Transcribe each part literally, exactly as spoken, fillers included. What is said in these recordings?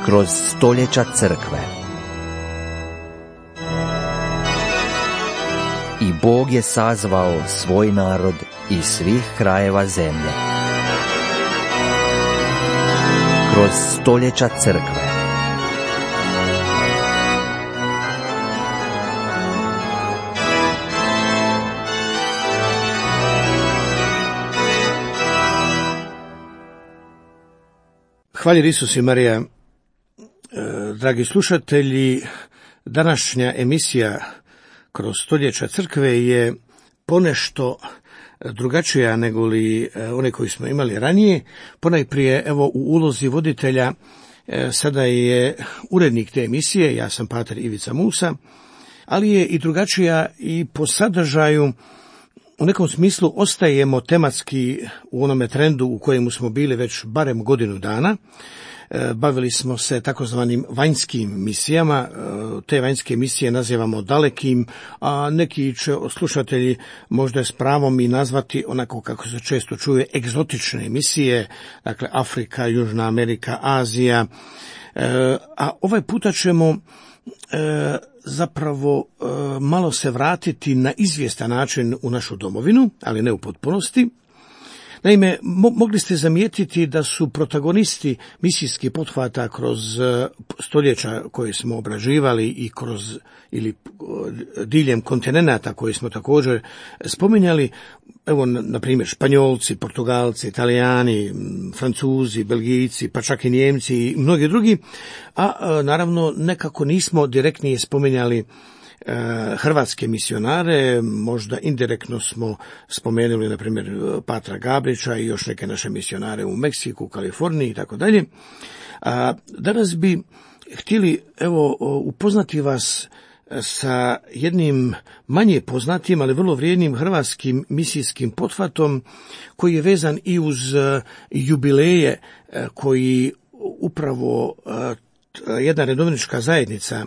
kroz stoljeća crkve. I Bog je sazvao svoj narod iz svih krajeva zemlje. Kroz stoljeća crkve. Hvala Isus i Marija. Dragi slušatelji, današnja emisija kroz stoljeća crkve je ponešto drugačija nego li one koje smo imali ranije. Ponajprije, evo, u ulozi voditelja sada je urednik te emisije, ja sam pater Ivica Musa, ali je i drugačija i po sadržaju. U nekom smislu ostajemo tematski u onome trendu u kojemu smo bili već barem godinu dana. Bavili smo se takozvanim vanjskim misijama, te vanjske misije nazivamo dalekim, a neki će slušatelji možda s pravom i nazvati onako kako se često čuje egzotične misije, dakle Afrika, Južna Amerika, Azija, a ovaj puta ćemo zapravo malo se vratiti na izvjestan način u našu domovinu, ali ne u potpunosti. Naime, mo- mogli ste zamijetiti da su protagonisti misijskih pothvata kroz stoljeća koje smo obrađivali i kroz ili diljem kontinenata koje smo također spominjali, evo na primjer Španjolci, Portugalci, Italijani, Francuzi, Belgijci, pa čak i Njemci i mnogi drugi, a naravno nekako nismo direktnije spominjali hrvatske misionare, možda indirektno smo spomenuli na primjer Patra Gabrića i još neke naše misionare u Meksiku, Kaliforniji i tako dalje. Danas bi htjeli evo upoznati vas sa jednim manje poznatim, ali vrlo vrijednim hrvatskim misijskim pothvatom koji je vezan i uz jubileje koji upravo jedna redovnička zajednica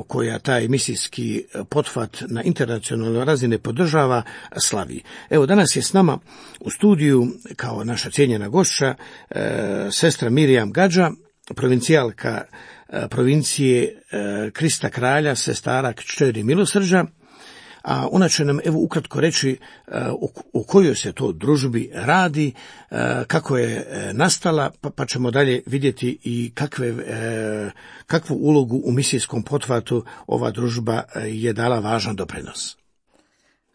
koja taj misijski pothvat na internacionalnoj razini podržava slavi. Evo, danas je s nama u studiju kao naša cijenjena gošća sestra Mirjam Gadža, provincijalka provincije Krista Kralja, sestara Kćeri Milosrđa, a ona će nam evo ukratko reći o kojoj se to družbi radi, kako je nastala, pa, pa ćemo dalje vidjeti i kakve, kakvu ulogu u misijskom pothvatu ova družba je dala važan doprinos.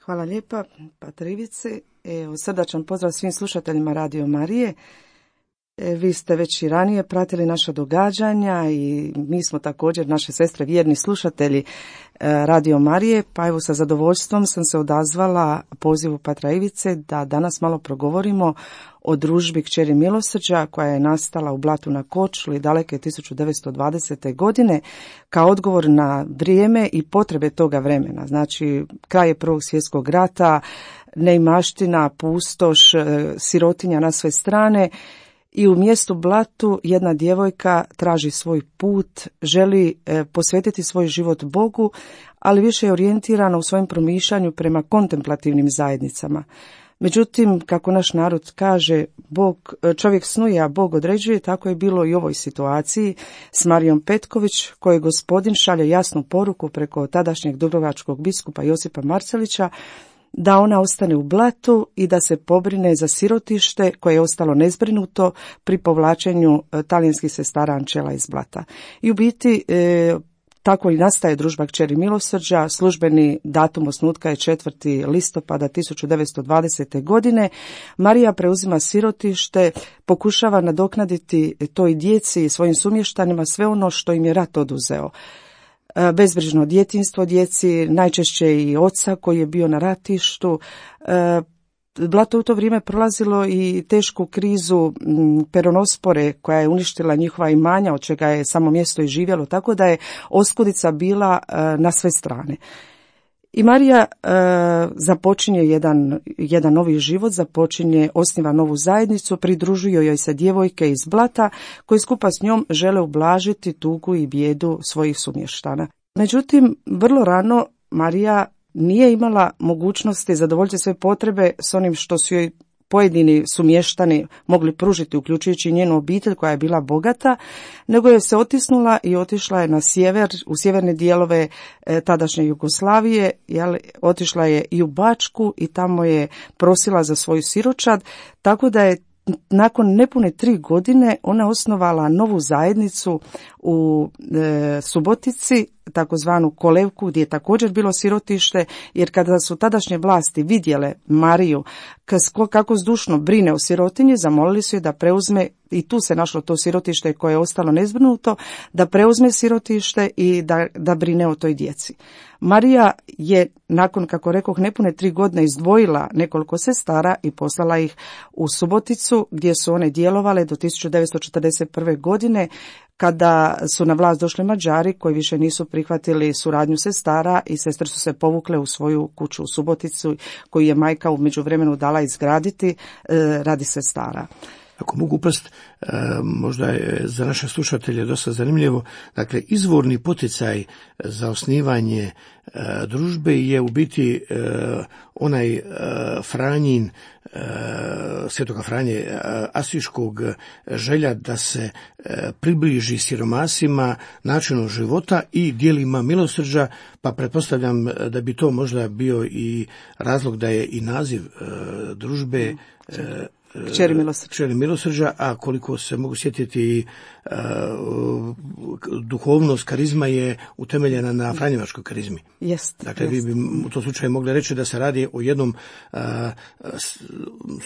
Hvala lijepa, pater Ivice. Evo, srdačan pozdrav svim slušateljima Radio Marije. E, vi ste već i ranije pratili naša događanja i mi smo također, naše sestre, vjerni slušatelji e, Radio Marije, pa evo sa zadovoljstvom sam se odazvala pozivu patra Ivice da danas malo progovorimo o družbi Kćeri Milosrđa koja je nastala u Blatu na Korčuli daleke tisuću devetsto dvadesete. godine kao odgovor na vrijeme i potrebe toga vremena. Znači, kraj je Prvog svjetskog rata, neimaština, pustoš, sirotinja na sve strane. I u mjestu Blatu jedna djevojka traži svoj put, želi e, posvetiti svoj život Bogu, ali više je orijentirana u svojem promišljanju prema kontemplativnim zajednicama. Međutim, kako naš narod kaže, Bog, čovjek snuje, a Bog određuje, tako je bilo i u ovoj situaciji s Marijom Petković, kojoj gospodin šalje jasnu poruku preko tadašnjeg dubrovačkog biskupa Josipa Marcelića, da ona ostane u Blatu i da se pobrine za sirotište koje je ostalo nezbrinuto pri povlačenju talijanskih sestara Ančela iz Blata. I u biti e, tako i nastaje družba Kćeri Milosrđa. Službeni datum osnutka je četvrti listopada tisuću devetsto dvadesete. godine. Marija preuzima sirotište, pokušava nadoknaditi toj djeci i svojim sumještanima sve ono što im je rat oduzeo. Bezbrižno djetinjstvo djeci, najčešće i oca koji je bio na ratištu. Blato u to vrijeme prolazilo i tešku krizu peronospore koja je uništila njihova imanja, od čega je samo mjesto i živjelo, tako da je oskudica bila na sve strane. I Marija e, započinje jedan, jedan novi život, započinje, osniva novu zajednicu, pridružuju joj se djevojke iz Blata koji skupa s njom žele ublažiti tugu i bijedu svojih sumještana. Međutim, vrlo rano Marija nije imala mogućnosti zadovoljiti sve potrebe s onim što su joj pojedini su mještani mogli pružiti, uključujući njenu obitelj koja je bila bogata, nego je se otisnula i otišla je na sjever, u sjeverne dijelove e, tadašnje Jugoslavije, jel, otišla je i u Bačku i tamo je prosila za svoju siročad, tako da je nakon nepune tri godine ona osnovala novu zajednicu u e, Subotici, takozvanu Kolevku, gdje je također bilo sirotište, jer kada su tadašnje vlasti vidjele Mariju kako zdušno brine o sirotinji, zamolili su je da preuzme, i tu se našlo to sirotište koje je ostalo nezbrinuto, da preuzme sirotište i da, da brine o toj djeci. Marija je, nakon, kako rekoh, nepune tri godine izdvojila nekoliko sestara i poslala ih u Suboticu, gdje su one djelovale do tisuću devetsto četrdeset prve. godine, kada su na vlast došli Mađari koji više nisu prihvatili suradnju sestara i sestre su se povukle u svoju kuću u Suboticu koju je majka u međuvremenu dala izgraditi e, radi sestara. Ako mogu upast, možda je za naše slušatelje dosta zanimljivo, dakle izvorni poticaj za osnivanje družbe je u biti onaj Franjin, Svetoga Franje Asiškog želja da se približi siromasima načinu života i dijelima milosrđa, pa pretpostavljam da bi to možda bio i razlog da je i naziv družbe Kćeri milosrđa. Kćeri milosrđa, a koliko se mogu sjetiti, uh, duhovnost, karizma je utemeljena na franjevačkoj karizmi. Jest, dakle, jest. vi bi u tom slučaju mogli reći da se radi o jednom uh,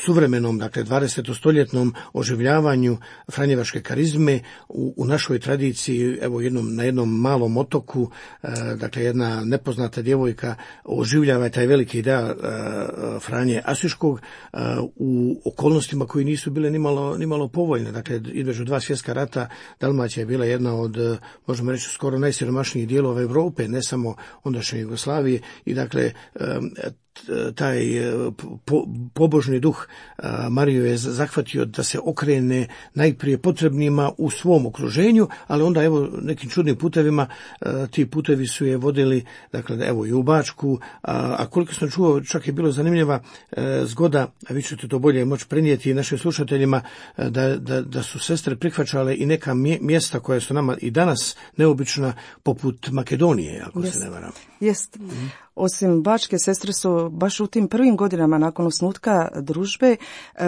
suvremenom, dakle dvadesetostoljetnom oživljavanju franjevačke karizme u, u našoj tradiciji. Evo jednom, na jednom malom otoku, uh, dakle jedna nepoznata djevojka oživljava taj veliki ideal uh, Franje Asiškog uh, u okolnostima koji nisu bile nimalo, nimalo povoljne. Dakle, između dva svjetska rata Dalmacija je bila jedna od, možemo reći, skoro najsiromašnijih dijelova Europe, ne samo ondašnje Jugoslavije, i dakle taj po, pobožni duh Mariju je zahvatio da se okrene najprije potrebnima u svom okruženju, ali onda evo nekim čudnim putevima ti putevi su je vodili, dakle evo i u Bačku, a, a koliko sam čuo, čak je bilo zanimljiva e, zgoda, a vi ćete to bolje moći prenijeti našim slušateljima, da, da, da su sestre prihvaćale i neka mjesta koja su nama i danas neobična, poput Makedonije, ako Jest. se ne varam. Jest. Mm. Osim Bačke, sestre su baš u tim prvim godinama nakon osnutka družbe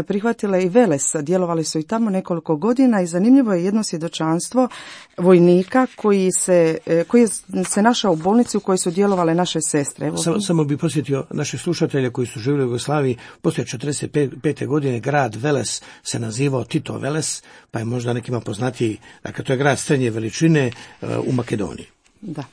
prihvatile i Veles, djelovali su i tamo nekoliko godina i zanimljivo je jedno svjedočanstvo vojnika koji se, koji je se našao u bolnici u kojoj su djelovale naše sestre. Evo. Samo, samo bi posjetio naše slušatelje koji su živjeli u Jugoslaviji, poslije četrdeset pete. godine grad Veles se nazivao Tito Veles, pa je možda nekima poznatiji, dakle to je grad srednje veličine u Makedoniji. Da.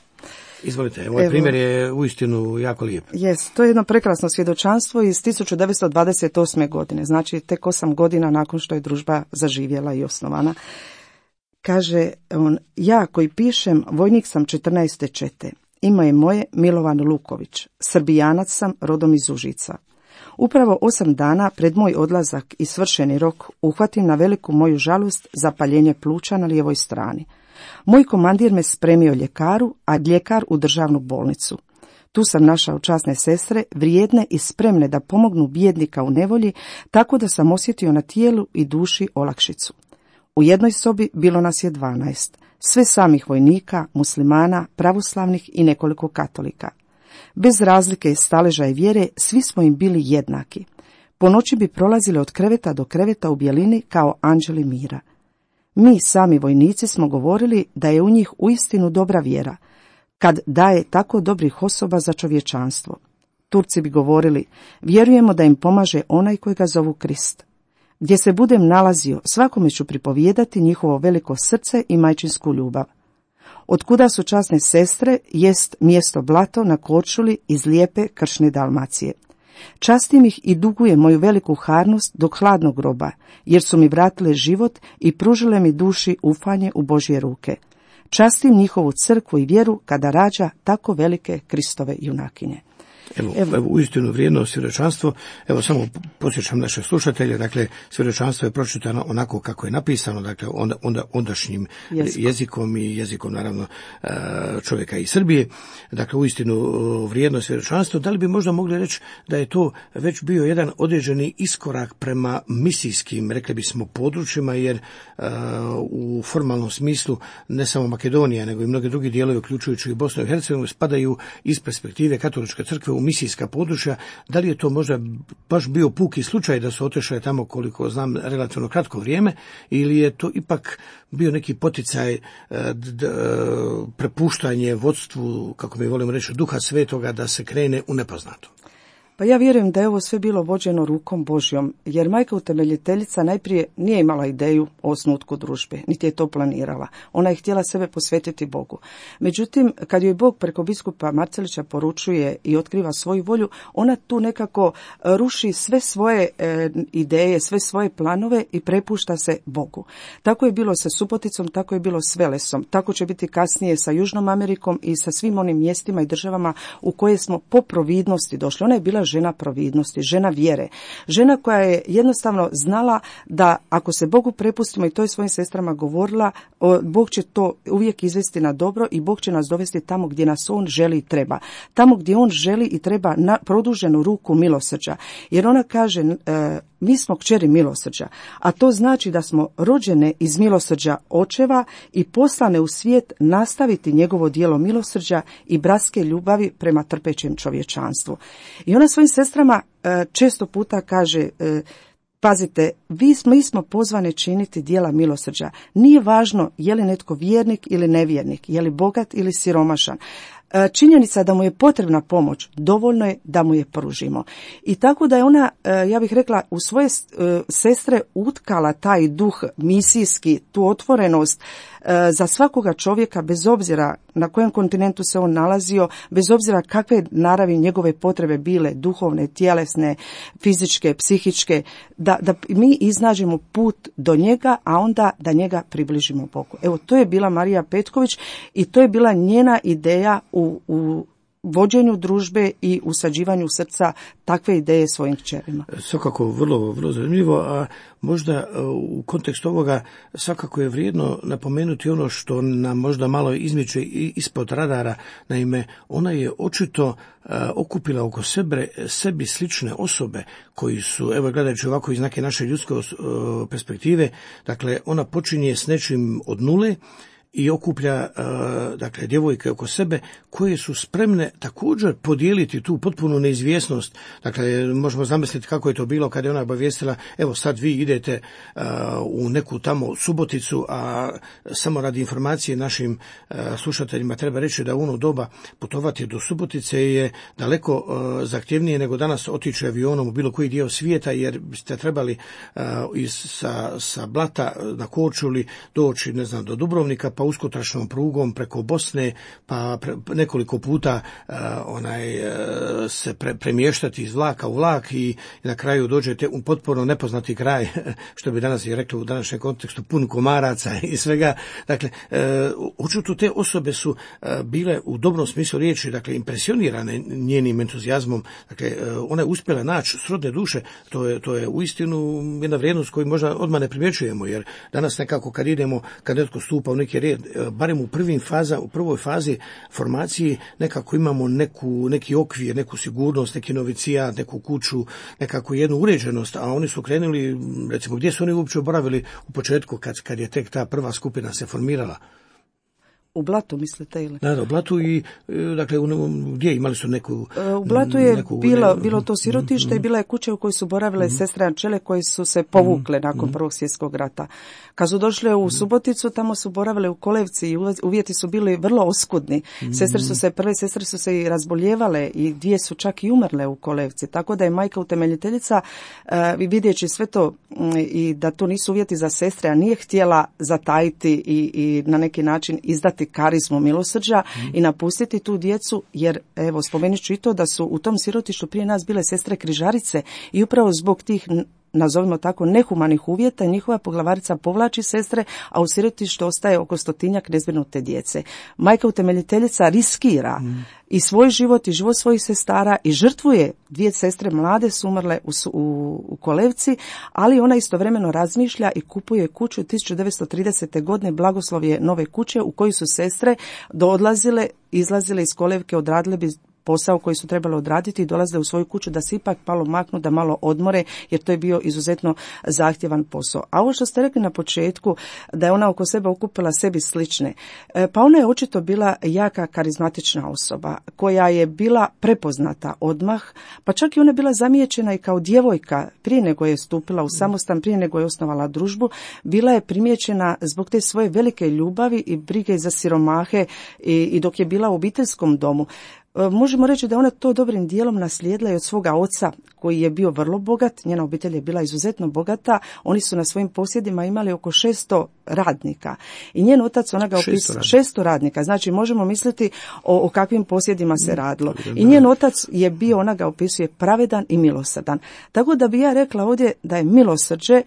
Izvolite, ovaj Evo, primjer je uistinu jako lijep. Jest, to je jedno prekrasno svjedočanstvo iz tisuću devetsto dvadeset osme. godine, znači tek osam godina nakon što je družba zaživjela i osnovana. Kaže on, ja koji pišem, vojnik sam četrnaeste čete. Ime je moje Milovan Luković, Srbijanac sam, rodom iz Užica. Upravo osam dana pred moj odlazak i svršeni rok uhvatim na veliku moju žalost zapaljenje pluća na lijevoj strani. Moj komandir me spremio ljekaru, a ljekar u državnu bolnicu. Tu sam našao časne sestre, vrijedne i spremne da pomognu bijednika u nevolji, tako da sam osjetio na tijelu i duši olakšicu. U jednoj sobi bilo nas je dvanaest, sve samih vojnika, muslimana, pravoslavnih i nekoliko katolika. Bez razlike staleža i vjere, svi smo im bili jednaki. Po noći bi prolazili od kreveta do kreveta u bjelini kao anđeli mira. Mi sami vojnici smo govorili da je u njih uistinu dobra vjera, kad daje tako dobrih osoba za čovječanstvo. Turci bi govorili, vjerujemo da im pomaže onaj koji ga zovu Krist. Gdje se budem nalazio, svakome ću pripovijedati njihovo veliko srce i majčinsku ljubav. Otkuda su časne sestre, jest mjesto Blato na Korčuli iz lijepe kršne Dalmacije. Častim ih i dugujem moju veliku harnost do hladnog groba, jer su mi vratile život i pružile mi duši ufanje u Božje ruke. Častim njihovu crkvu i vjeru kada rađa tako velike Kristove junakinje. Evo, evo. evo uistinu vrijedno svjedočanstvo. Evo samo podsjećam naše slušatelje, dakle svjedočanstvo je pročitano onako kako je napisano, dakle onda, onda ondašnjim jezikom. jezikom i jezikom naravno čovjeka iz Srbije. Dakle uistinu vrijedno svjedočanstvo. Da li bi možda mogli reći da je to već bio jedan određeni iskorak prema misijskim, rekli bismo, područjima, jer uh, u formalnom smislu ne samo Makedonija, nego i mnogi drugi dijelovi, uključujući i Bosnu i Hercegovinu, spadaju iz perspektive katoličke crkve u misijska područja. Da li je to možda baš bio puki slučaj da su otišle tamo, koliko znam, relativno kratko vrijeme, ili je to ipak bio neki poticaj, uh, d, uh, prepuštanje vodstvu, kako mi volimo reći, Duha Svetoga da se krene u nepoznato? Pa ja vjerujem da je ovo sve bilo vođeno rukom Božjom, jer majka utemeljiteljica najprije nije imala ideju o osnutku družbe, niti je to planirala. Ona je htjela sebe posvetiti Bogu. Međutim, kad joj Bog preko biskupa Marcelića poručuje i otkriva svoju volju, ona tu nekako ruši sve svoje e, ideje, sve svoje planove i prepušta se Bogu. Tako je bilo sa Suboticom, tako je bilo s Velesom, tako će biti kasnije sa Južnom Amerikom i sa svim onim mjestima i državama u koje smo po providnosti došli. Ona je bila žena providnosti, žena vjere, žena koja je jednostavno znala da ako se Bogu prepustimo, i to je svojim sestrama govorila, Bog će to uvijek izvesti na dobro i Bog će nas dovesti tamo gdje nas On želi i treba. Tamo gdje On želi i treba na produženu ruku milosrđa. Jer ona kaže, e, mi smo kćeri milosrđa, a to znači da smo rođene iz milosrđa očeva i poslane u svijet nastaviti njegovo djelo milosrđa i bratske ljubavi prema trpećem čovječanstvu. I ona svojim sestrama e, često puta kaže, e, pazite, vi smo, mi smo pozvane činiti djela milosrđa. Nije važno je li netko vjernik ili nevjernik, je li bogat ili siromašan. Činjenica da mu je potrebna pomoć, dovoljno je da mu je pružimo. I tako da je ona, ja bih rekla, u svoje sestre utkala taj duh misijski, tu otvorenost za svakoga čovjeka, bez obzira na kojem kontinentu se on nalazio, bez obzira kakve naravi njegove potrebe bile, duhovne, tjelesne, fizičke, psihičke, da, da mi iznađemo put do njega, a onda da njega približimo Bogu. Evo, to je bila Marija Petković i to je bila njena ideja u, u vođenju družbe i usađivanju srca takve ideje svojim kćerima. Svakako vrlo, vrlo zanimljivo, a možda u kontekstu ovoga svakako je vrijedno napomenuti ono što nam možda malo izmiče ispod radara. Naime, ona je očito okupila oko sebe sebi slične osobe koji su, evo gledajući ovako iz neke naše ljudske perspektive, dakle ona počinje s nečim od nule i okuplja dakle djevojke oko sebe koje su spremne također podijeliti tu potpunu neizvjesnost. Dakle, možemo zamisliti kako je to bilo kada je ona obavijestila, evo sad vi idete u neku tamo Suboticu, a samo radi informacije našim slušateljima treba reći da u ono doba putovati do Subotice je daleko zahtjevnije nego danas otići avionom u bilo koji dio svijeta, jer ste trebali iz, sa, sa Blata na Korčuli doći, ne znam, do Dubrovnika, pa uskotračnom prugom preko Bosne, pa pre, nekoliko puta uh, onaj uh, se pre, premještati iz vlaka u vlak i na kraju dođete u potpuno nepoznati kraj, što bi danas je reklo u današnjem kontekstu, pun komaraca i svega. Dakle, uh, očito te osobe su uh, bile u dobrom smislu riječi, dakle, impresionirane njenim entuzijazmom. Dakle, uh, ona je uspjela naći srodne duše. To je, to je uistinu jedna vrijednost koju možda odmah ne primjećujemo, jer danas nekako kad idemo, kad netko stupa u neki red, barem u prvim faza, u prvoj fazi formacije nekako imamo neku, neki okvir, neku sigurnost, neki novicijat, neku kuću, nekako jednu uređenost, a oni su krenuli, recimo, gdje su oni uopće oboravili u početku kad, kad je tek ta prva skupina se formirala? U Blatu, mislite, ili? Da, da, u Blatu i, dakle, u, gdje imali su neku... U Blatu je neku, bilo, ne, bilo to sirotište mm, i bila je kuća u kojoj su boravile mm, sestre Ančele koje su se povukle mm, nakon mm, Prvog svjetskog rata. Kad su došle u Suboticu, tamo su boravile u Kolevci i uvjeti su bili vrlo oskudni. Mm, sestre su se, prve sestre su se i razboljevale i dvije su čak i umrle u Kolevci. Tako da je majka utemeljiteljica, uh, vidjeći sve to um, i da to nisu uvjeti za sestre, a nije htjela zatajiti i, i na neki način izdati karizmu milosrđa mm. i napustiti tu djecu, jer evo spomenut ću i to da su u tom sirotištu prije nas bile sestre križarice i upravo zbog tih nazovimo tako, nehumanih uvjeta, njihova poglavarica povlači sestre, a u sirotištu ostaje oko stotinjak nezbrinute djece. Majka utemeljiteljica riskira mm. i svoj život i život svojih sestara i žrtvuje, dvije sestre mlade su umrle u, u, u kolevci, ali ona istovremeno razmišlja i kupuje kuću tisuću devetsto tridesete. godine, blagoslov je nove kuće u kojoj su sestre odlazile, izlazile iz kolevke, odradile bi posao koji su trebali odraditi i dolaze u svoju kuću da se ipak malo maknu, da malo odmore, jer to je bio izuzetno zahtjevan posao. A ovo što ste rekli na početku, da je ona oko sebe okupila sebi slične, pa ona je očito bila jaka karizmatična osoba, koja je bila prepoznata odmah, pa čak i ona je bila zamijećena i kao djevojka prije nego je stupila u samostan, prije nego je osnovala družbu, bila je primijećena zbog te svoje velike ljubavi i brige za siromahe i, i dok je bila u obiteljskom domu. Možemo reći da ona to dobrim dijelom naslijedila i od svoga oca koji je bio vrlo bogat, njena obitelj je bila izuzetno bogata, oni su na svojim posjedima imali oko šesto radnika i njen otac, ona ga opisuje, šesto radnika, znači možemo misliti o, o kakvim posjedima se radilo. I njen otac je bio, ona ga opisuje, pravedan i milosrdan. Tako da bi ja rekla ovdje da je milosrđe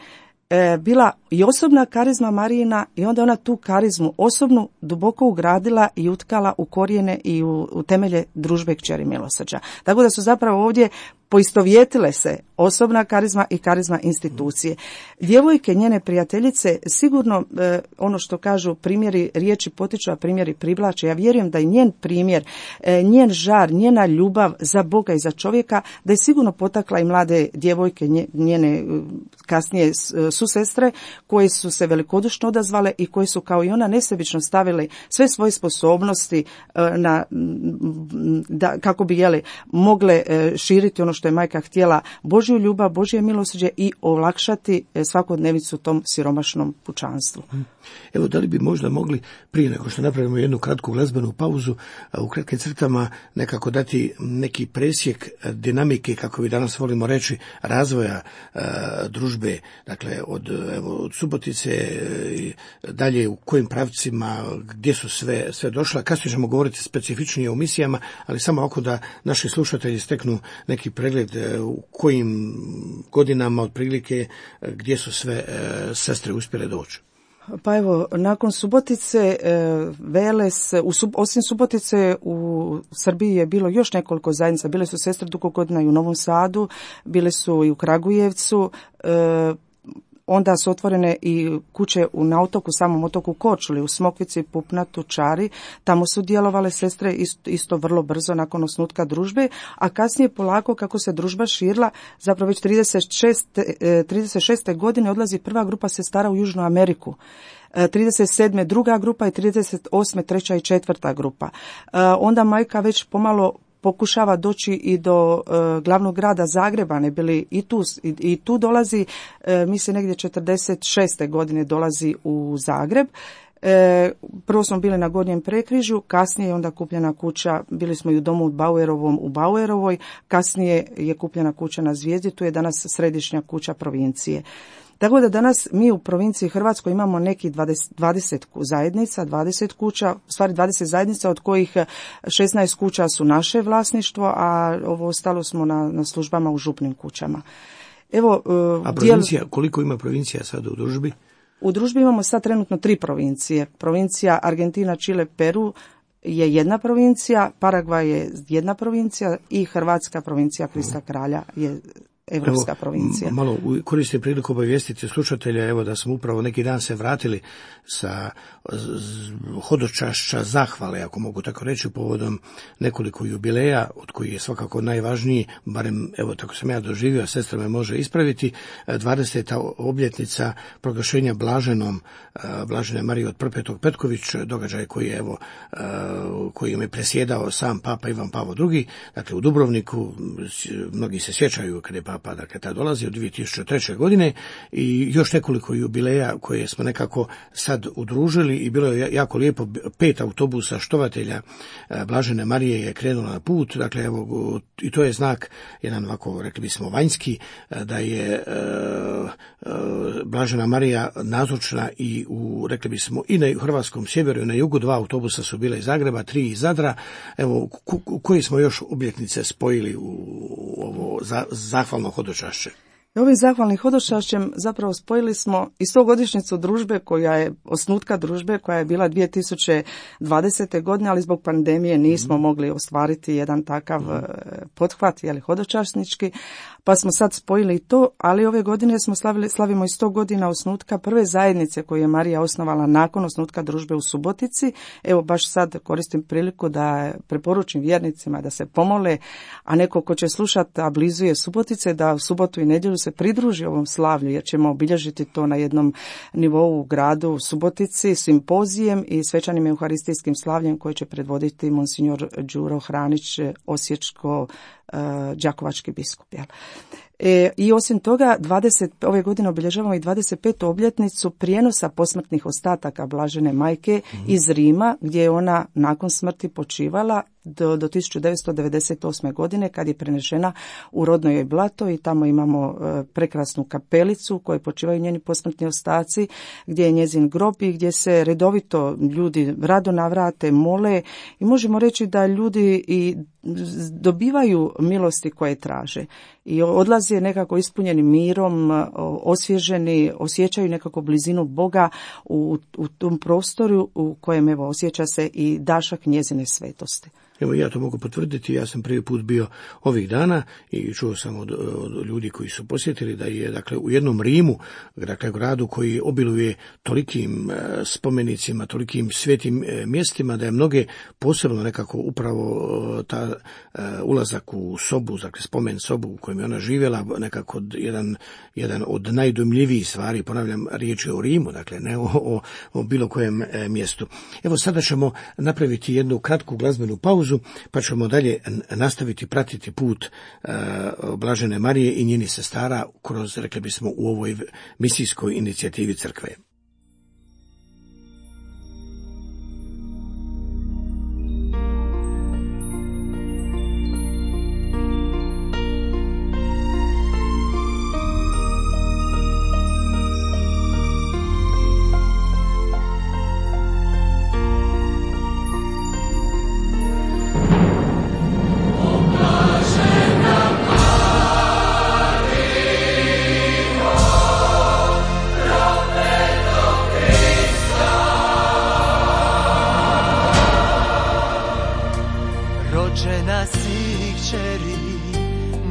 bila i osobna karizma Marijina i onda ona tu karizmu osobnu duboko ugradila i utkala u korijene i u, u temelje družbe kćeri milosrđa. Tako da su zapravo ovdje poistovjetile se osobna karizma i karizma institucije. Djevojke, njene prijateljice, sigurno e, ono što kažu primjeri riječi potiču, a primjeri privlače. Ja vjerujem da je njen primjer, e, njen žar, njena ljubav za Boga i za čovjeka, da je sigurno potakla i mlade djevojke, njene kasnije susestre, koje su se velikodušno odazvale i koje su kao i ona nesebično stavile sve svoje sposobnosti e, na, da, kako bi jeli, mogle e, širiti ono što je majka htjela, Božju ljubav, Božje milosrđe i olakšati svakodnevicu tom siromašnom pučanstvu. Evo, da li bi možda mogli, prije nego što napravimo jednu kratku glazbenu pauzu, u kratkim crtama nekako dati neki presjek dinamike, kako bi danas volimo reći, razvoja e, družbe, dakle od, evo, od Subotice i dalje u kojim pravcima, gdje su sve, sve došla. Kasnije ćemo govoriti specifičnije o misijama, ali samo oko da naši slušatelji steknu neki pregled u kojim godinama otprilike gdje su sve e, sestre uspjele doći. Pa evo, nakon Subotice, Veles, u, osim Subotice u Srbiji je bilo još nekoliko zajednica. Bile su sestre dugo godina i u Novom Sadu, bile su i u Kragujevcu, onda su otvorene i kuće na otoku, samom otoku Korčuli, u Smokvici, Pupnatu, Čari. Tamo su djelovale sestre isto, isto vrlo brzo nakon osnutka družbe, a kasnije polako kako se družba širila, zapravo već trideset šeste. godine odlazi prva grupa sestara u Južnu Ameriku. trideset sedme druga grupa i trideset osme treća i četvrta grupa. Onda majka već pomalo pokušava doći i do e, glavnog grada Zagreba, ne bili i tu, i, i tu dolazi, e, mislim negdje četrdeset šeste. godine dolazi u Zagreb. E, prvo smo bili na Gornjem Prekrižju, kasnije je onda kupljena kuća, bili smo i u domu u Bauerovom u Bauerovoj, kasnije je kupljena kuća na Zvijezdi, tu je danas središnja kuća provincije. Tako da danas mi u provinciji Hrvatskoj imamo neki dvadeset, dvadeset zajednica, dvadeset kuća, u stvari dvadeset zajednica, od kojih šesnaest kuća su naše vlasništvo, a ovo ostalo smo na, na službama u župnim kućama. Evo, a provincija, dijel... koliko ima provincija sad u družbi? U družbi imamo sad trenutno tri provincije. Provincija Argentina, Čile, Peru je jedna provincija, Paragvaj je jedna provincija i Hrvatska provincija Krista Kralja je Evropska evo, provincija. Malo koristim priliku obavijestiti slušatelja, evo da smo upravo neki dan se vratili sa hodočašća zahvale, ako mogu tako reći, povodom nekoliko jubileja, od kojih je svakako najvažniji, barem evo tako sam ja doživio, sestra me može ispraviti, dvadeseta obljetnica proglašenja blaženom Blažene Marije od Prpetog Petković, događaj koji je evo kojim je presjedao sam Papa Ivan Pavao drugi, dakle u Dubrovniku, mnogi se sjećaju kada je Papa dakle tad dolazi od dvije tisuće treće. godine i još nekoliko jubileja koje smo nekako sad udružili i bilo je jako lijepo, pet autobusa štovatelja Blažene Marije je krenulo na put, dakle evo i to je znak jedan ovako rekli bismo vanjski da je Blažena Marija nazočna i u rekli bismo i na hrvatskom sjeveru i na jugu, dva autobusa su bile iz Zagreba, tri iz Zadra, evo koji smo još obljetnice spojili u ovo za, zahvalno hodočašće. Ovim zahvalnim hodočašćem zapravo spojili smo i stogodišnjicu družbe koja je, osnutka družbe koja je bila dvije tisuće dvadesete. godine, ali zbog pandemije nismo mm. mogli ostvariti jedan takav mm. pothvat, jeli, hodočasnički, pa smo sad spojili to, ali ove godine smo slavili, slavimo i sto godina osnutka prve zajednice koju je Marija osnovala nakon osnutka družbe u Subotici. Evo baš sad koristim priliku da preporučim vjernicima da se pomole, a neko ko će slušati, a blizu je Subotice, da u subotu i nedjelju se pridruži ovom slavlju, jer ćemo obilježiti to na jednom nivou u gradu u Subotici, simpozijem i svečanim euharistijskim slavljem koje će predvoditi monsignor Đuro Hranić, osječko uh, đakovački biskup. Jel? E, I osim toga, dvadeset ove godine obilježavamo i dvadeset petu obljetnicu prijenosa posmrtnih ostataka Blažene majke mm-hmm. iz Rima, gdje je ona nakon smrti počivala do, do tisuću devetsto devedeset osme. godine, kad je prenešena u rodno joj Blato, i tamo imamo e, prekrasnu kapelicu u kojoj počivaju njeni posmrtni ostaci, gdje je njezin grob i gdje se redovito ljudi rado navrate, mole, i možemo reći da ljudi i dobivaju milosti koje traže i odlaze nekako ispunjeni mirom, osvježeni, osjećaju nekako blizinu Boga u, u tom prostoru u kojem evo osjeća se i dašak njezine svetosti. Evo, ja to mogu potvrditi, ja sam prvi put bio ovih dana i čuo sam od, od ljudi koji su posjetili da je, dakle, u jednom Rimu, dakle, gradu koji obiluje tolikim e, spomenicima, tolikim svetim e, mjestima, da je mnoge posebno nekako upravo e, ta e, ulazak u sobu, dakle, spomen sobu u kojem je ona živjela, nekako jedan, jedan od najdojmljivijih stvari, ponavljam, riječ je o Rimu, dakle, ne o, o, o bilo kojem e, mjestu. Evo, sada ćemo napraviti jednu kratku glazbenu pauzu, pa ćemo dalje nastaviti pratiti put uh, Blažene Marije i njenih sestara kroz, rekli bismo, u ovoj misijskoj inicijativi crkve.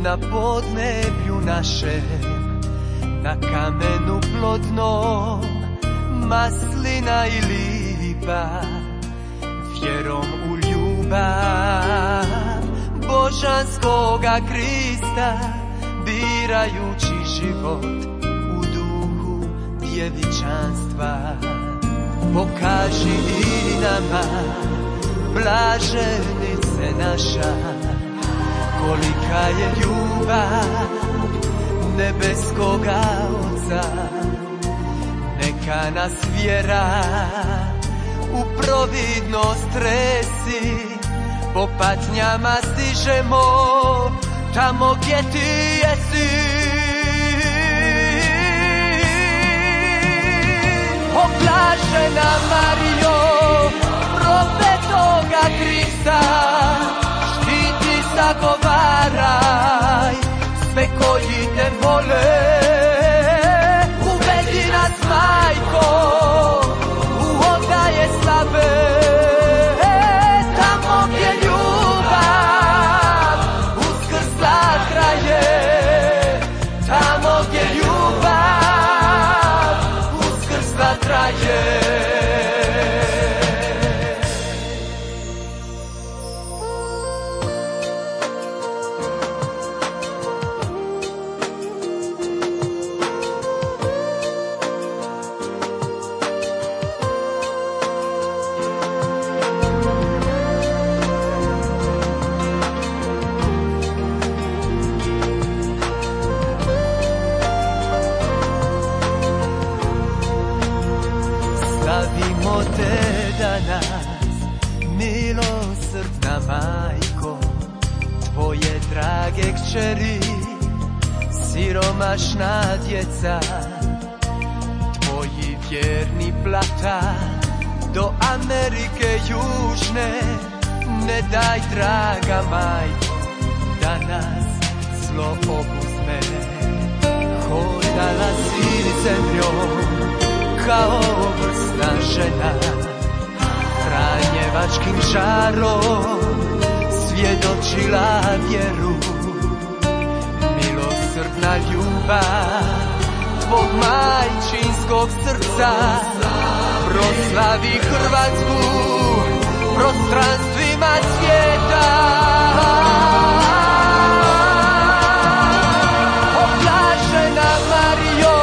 Na podneblju našem, na kamenu plodnom, maslina i lipa, vjerom u ljubav božanskoga Krista, birajući život u duhu djevičanstva. Pokaži i nama, blaženice naša, kolika je ljubav nebeskoga Oca. Neka nas vjera u providnost tresi, po patnjama stižemo tamo gdje ti jesi. O blažena Marijo, profetoga Krista, zagovaraj sve koji te vole, uvedi nas, majko, u odaje slave, tamo gdje ljubav uskrsla traje, tamo gdje ljubav uskrsla traje. Milosrdna majko, tvoje drage kćeri, siromašna djeca, tvoji vjerni plata, do Amerike južne, ne daj, draga majko, da nas zlo obuzme. vladala si zemljom kao vrsna žena, franjevačkim žarom svjedočila vjeru. Milosrdna ljubav tvog majčinskog srca proslavi Hrvatsku prostranstvima svijeta. Oblažena Marijo,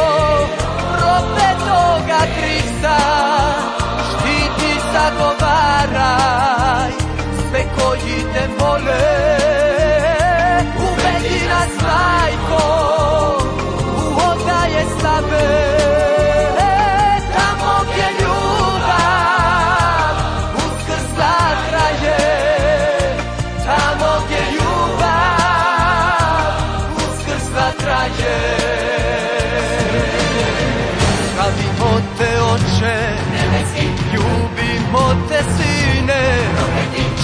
propetoga Krista, štiti, zagovaraj sve koji te vole. Uvedi nas, majko, u odaje slave, tamo gdje ljubav uskrsla traje, tamo gdje ljubav uskrsla traje. Slavimo te, Oče, ljubimo te, Sine,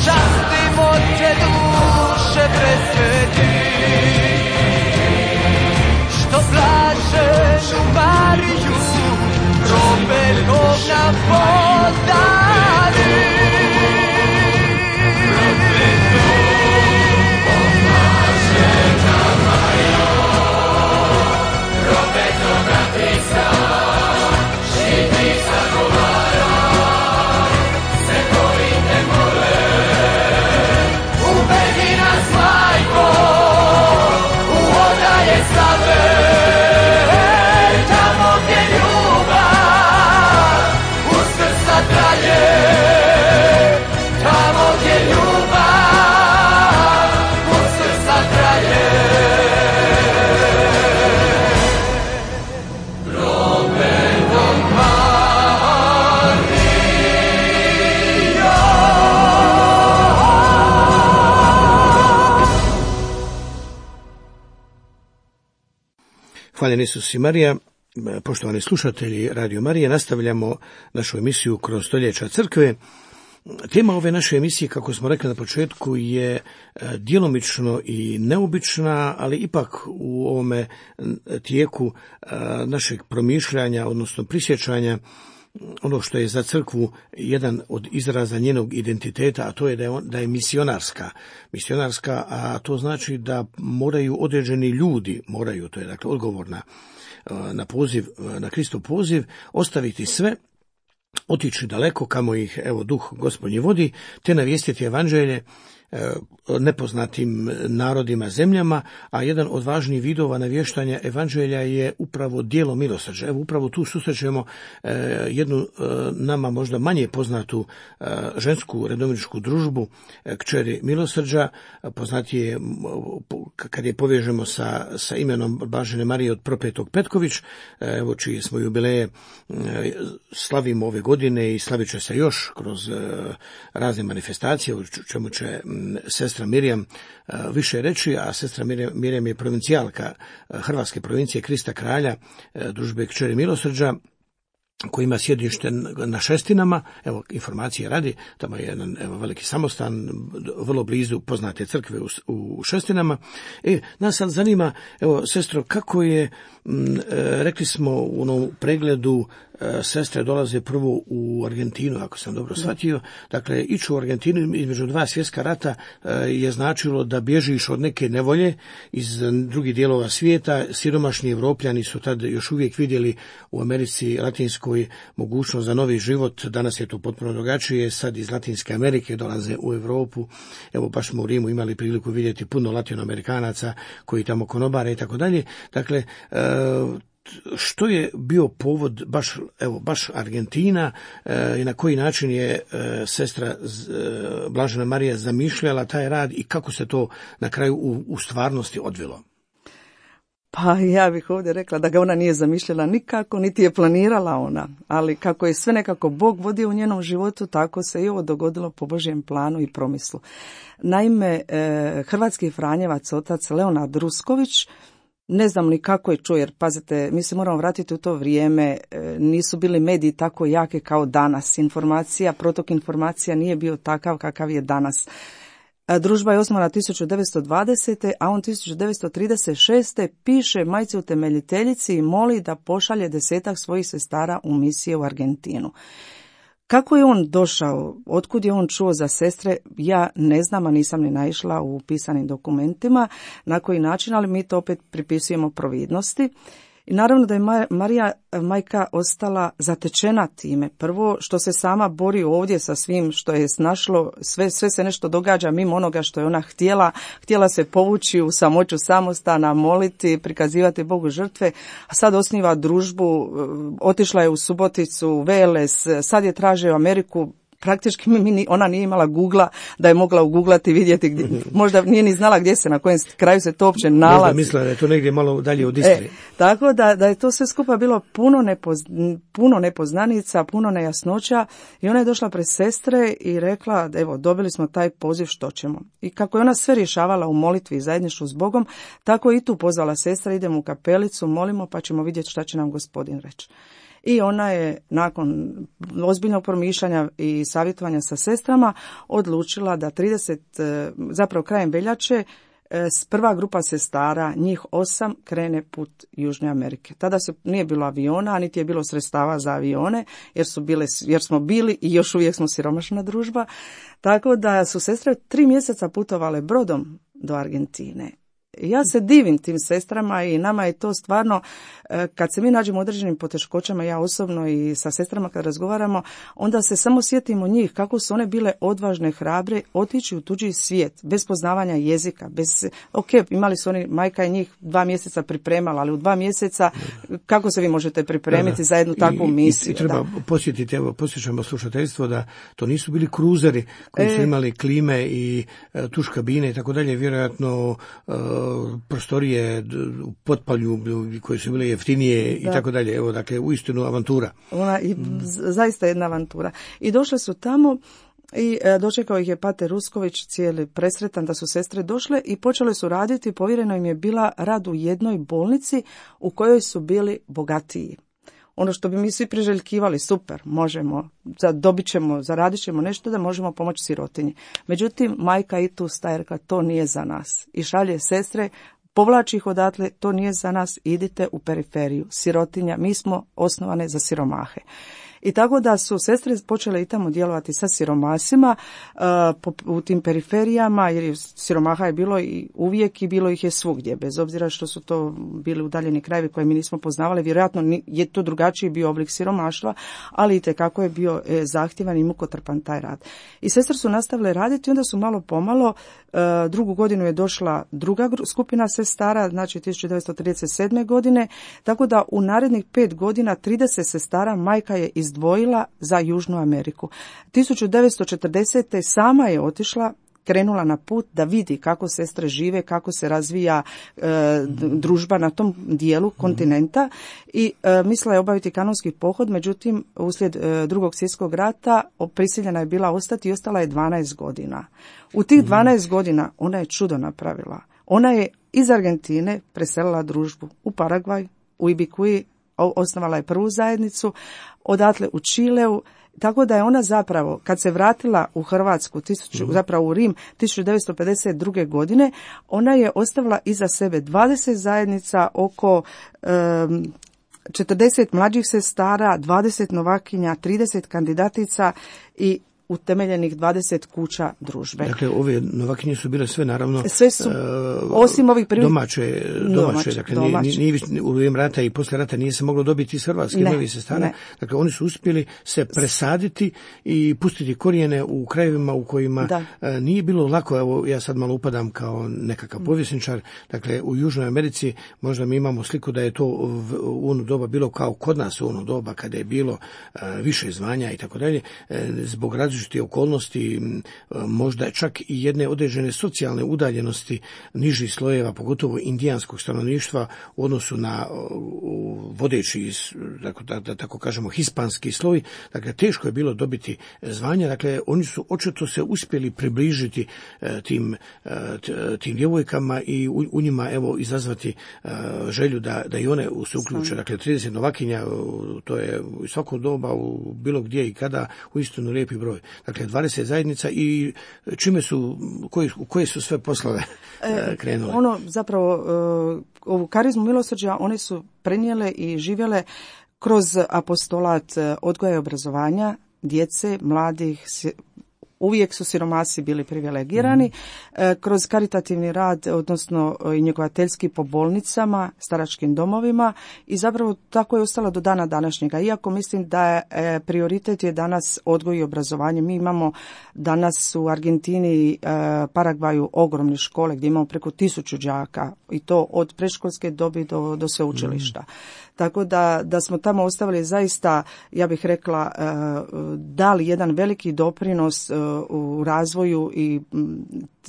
častimo te, duše presveti, što blaženu Mariju propetog nam podari. Oblažena Marijo, propetoga Krista, štiti, zagovaraj sve koji te mole. Uvedi nas, majko, u odaje slave, tamo gdje ljubav uskrsla traje, tamo gdje ljubav uskrsla traje. Prometom Marijo. Hvaljen Isus i Marija. Poštovani slušatelji Radio Marije, nastavljamo našu emisiju kroz stoljeća crkve. Tema ove naše emisije, kako smo rekli na početku, je djelomično i neobična, ali ipak u ovome tijeku našeg promišljanja, odnosno prisjećanja, ono što je za crkvu jedan od izraza njenog identiteta, a to je da je, on, da je misionarska. Misionarska, a to znači da moraju određeni ljudi, moraju, to je dakle odgovorna na poziv, na Kristov poziv, ostaviti sve, otići daleko kamo ih evo duh Gospodnji vodi, te navijestiti evanđelje nepoznatim narodima, zemljama, a jedan od važnijih vidova navještanja evanđelja je upravo djelo milosrđa. Evo upravo tu susrećemo jednu nama možda manje poznatu žensku redomničku družbu kćeri milosrđa, poznatije kad je povežemo sa, sa imenom Blažene Marije od Propetog Petković, evo čije smo jubileje slavimo ove godine i slavit će se još kroz razne manifestacije, u čemu će sestra Mirjam više reći, a sestra Mirjam je provincijalka Hrvatske provincije Krista Kralja, družbe kćeri milosrđa, koji ima sjedište na Šestinama, evo informacije radi, tamo je jedan evo, veliki samostan, vrlo blizu poznate crkve u, u Šestinama. E, nas sad zanima, evo sestro, kako je, m, rekli smo u onom pregledu, sestre dolaze prvo u Argentinu, ako sam dobro shvatio. Dakle, ići u Argentinu između dva svjetska rata je značilo da bježiš od neke nevolje iz drugih dijelova svijeta. Siromašni Evropljani su tad još uvijek vidjeli u Americi latinskoj mogućnost za novi život. Danas je to potpuno drugačije. Sad iz Latinske Amerike dolaze u Europu. Evo, baš smo u Rimu imali priliku vidjeti puno Latinoamerikanaca koji tamo konobare i tako dalje. Dakle, što je bio povod baš, evo, baš Argentina e, i na koji način je e, sestra e, Blažena Marija zamišljala taj rad i kako se to na kraju u, u stvarnosti odvilo? Pa ja bih ovdje rekla da ga ona nije zamišljala nikako, niti je planirala ona, ali kako je sve nekako Bog vodio u njenom životu, tako se i ovo dogodilo po Božjem planu i promislu. Naime, e, hrvatski franjevac otac Leonard Rusković, ne znam ni kako je čuo, jer pazite, mi se moramo vratiti u to vrijeme, nisu bili mediji tako jake kao danas. Informacija, protok informacija nije bio takav kakav je danas. Družba je osnovana tisuću devetsto dvadesete. a on tisuću devetsto trideset šeste. piše majci utemeljiteljici i moli da pošalje desetak svojih sestara u misije u Argentinu. Kako je on došao, otkud je on čuo za sestre, ja ne znam, a nisam ni naišla u pisanim dokumentima na koji način, ali mi to opet pripisujemo providnosti. I naravno da je Marija majka ostala zatečena time. Prvo što se sama bori ovdje sa svim što je snašlo, sve, sve se nešto događa mimo onoga što je ona htjela. Htjela se povući u samoću samostana, moliti, prikazivati Bogu žrtve, a sad osniva družbu, otišla je u Suboticu, Veles, sad je traže u Ameriku. Praktički mi, ona nije imala Googla da je mogla uguglati i vidjeti gdje, možda nije ni znala gdje se, na kojem kraju se to uopće nalazi. Možda mislila da je to negdje malo dalje od Istre. E, tako da, da je to sve skupa bilo puno, nepoz, puno nepoznanica, puno nejasnoća i ona je došla pred sestre i rekla, evo, dobili smo taj poziv, što ćemo. I kako je ona sve rješavala u molitvi i zajedništvu s Bogom, tako i tu pozvala sestra, idemo u kapelicu, molimo pa ćemo vidjeti šta će nam Gospodin reći. I ona je nakon ozbiljnog promišljanja i savjetovanja sa sestrama odlučila da trideset, zapravo krajem veljače, prva grupa sestara, njih osam, krene put Južne Amerike. Tada se nije bilo aviona, a niti je bilo sredstava za avione, jer su bile, jer smo bili i još uvijek smo siromašna družba. Tako da su sestre tri mjeseca putovale brodom do Argentine. Ja se divim tim sestrama i nama je to stvarno, kad se mi nađemo u određenim poteškoćama, ja osobno i sa sestrama kad razgovaramo, onda se samo sjetimo njih, kako su one bile odvažne, hrabre, otići u tuđi svijet, bez poznavanja jezika, bez, ok, imali su oni, majka je njih dva mjeseca pripremala, ali u dva mjeseca, kako se vi možete pripremiti da, da. za jednu takvu misiju? I, i treba da. posjetiti, evo, posjećamo slušateljstvo da to nisu bili kruzeri koji su e, imali klime i uh, tuš kabine i tako dalje, vjerojatno uh, prostorije u potpalju koje su bile jeftinije da. i tako dalje. Evo, dakle, uistinu avantura. Ona i mm. zaista jedna avantura. I došle su tamo i dočekao ih je pater Rusković, cijeli presretan da su sestre došle i počele su raditi. Povjereno im je bila rad u jednoj bolnici u kojoj su bili bogatiji. Ono što bi mi svi priželjkivali, super, možemo, dobit ćemo, zaradit ćemo nešto da možemo pomoći sirotinji. Međutim, majka i tu staje rekla, to nije za nas. I šalje sestre, povlači ih odatle, to nije za nas, idite u periferiju. Sirotinja, mi smo osnovane za siromahe. I tako da su sestre počele i tamo djelovati sa siromasima uh, u tim periferijama, jer siromaha je bilo i uvijek i bilo ih je svugdje, bez obzira što su to bili udaljeni krajevi koje mi nismo poznavali. Vjerojatno je to drugačiji bio oblik siromaštva, ali itekako je bio e, zahtjevan i mukotrpan taj rad. I sestre su nastavile raditi i onda su malo pomalo, uh, drugu godinu je došla druga skupina sestara, znači tisuću devetsto trideset sedme. godine, tako da u narednih pet godina trideset sestara majka je iz izdvojila za Južnu Ameriku. tisuću devetsto četrdesete. sama je otišla, krenula na put da vidi kako sestre žive, kako se razvija e, družba na tom dijelu kontinenta i e, mislila je obaviti kanonski pohod, međutim uslijed e, drugog svjetskog rata prisiljena je bila ostati i ostala je dvanaest godina. U tih dvanaest godina ona je čudo napravila. Ona je iz Argentine preselila družbu u Paragvaj, u Ibikuji, osnovala je prvu zajednicu, odatle u Čileu, tako da je ona zapravo, kad se vratila u Hrvatsku, tisuću, zapravo u Rim, tisuću devetsto pedeset druge. godine, ona je ostavila iza sebe dvadeset zajednica, oko um, četrdeset mlađih sestara, dvadeset novakinja, trideset kandidatica i utemeljenih dvadeset kuća družbe. Dakle, ove novakinje su bile sve naravno sve su, uh, osim ovih prvi... domaće, domaće, domaće, dakle, domaće. Nije, nije, u vrijeme rata i poslije rata nije se moglo dobiti iz Hrvatske novih sestara. Dakle, oni su uspjeli se presaditi i pustiti korijene u krajevima u kojima uh, nije bilo lako. Evo, ja sad malo upadam kao nekakav povjesničar. Dakle, u Južnoj Americi možda mi imamo sliku da je to u ono doba bilo kao kod nas u ono doba kada je bilo uh, više zvanja i tako dalje, uh, zbog različitih okolnosti, možda čak i jedne određene socijalne udaljenosti nižih slojeva, pogotovo indijanskog stanovništva u odnosu na vodeći, da, da tako kažemo, hispanski sloj. Dakle, teško je bilo dobiti zvanja. Dakle, oni su očito se uspjeli približiti tim, tim djevojkama i u, u njima, evo, izazvati želju da, da i one se uključe. Dakle, trideset novakinja, to je u svako doba, u bilo gdje i kada, uistinu lijepi broj. dakle dvadeset zajednica i čime su, koje, koje su sve poslove e, krenule? Ono zapravo, ovu karizmu milosrđa one su prenijele i živjele kroz apostolat odgoja i obrazovanja djece, mladih. Uvijek su siromasi bili privilegirani, mm. kroz karitativni rad, odnosno i njegovateljski po bolnicama, staračkim domovima i zapravo tako je ostalo do dana današnjega. Iako mislim da je prioritet je danas odgoj i obrazovanje. Mi imamo danas u Argentini i Paragvaju ogromne škole gdje imamo preko tisuću đaka i to od predškolske dobi do, do sveučilišta. Mm. Tako da, da smo tamo ostavili zaista, ja bih rekla, dali jedan veliki doprinos u razvoju i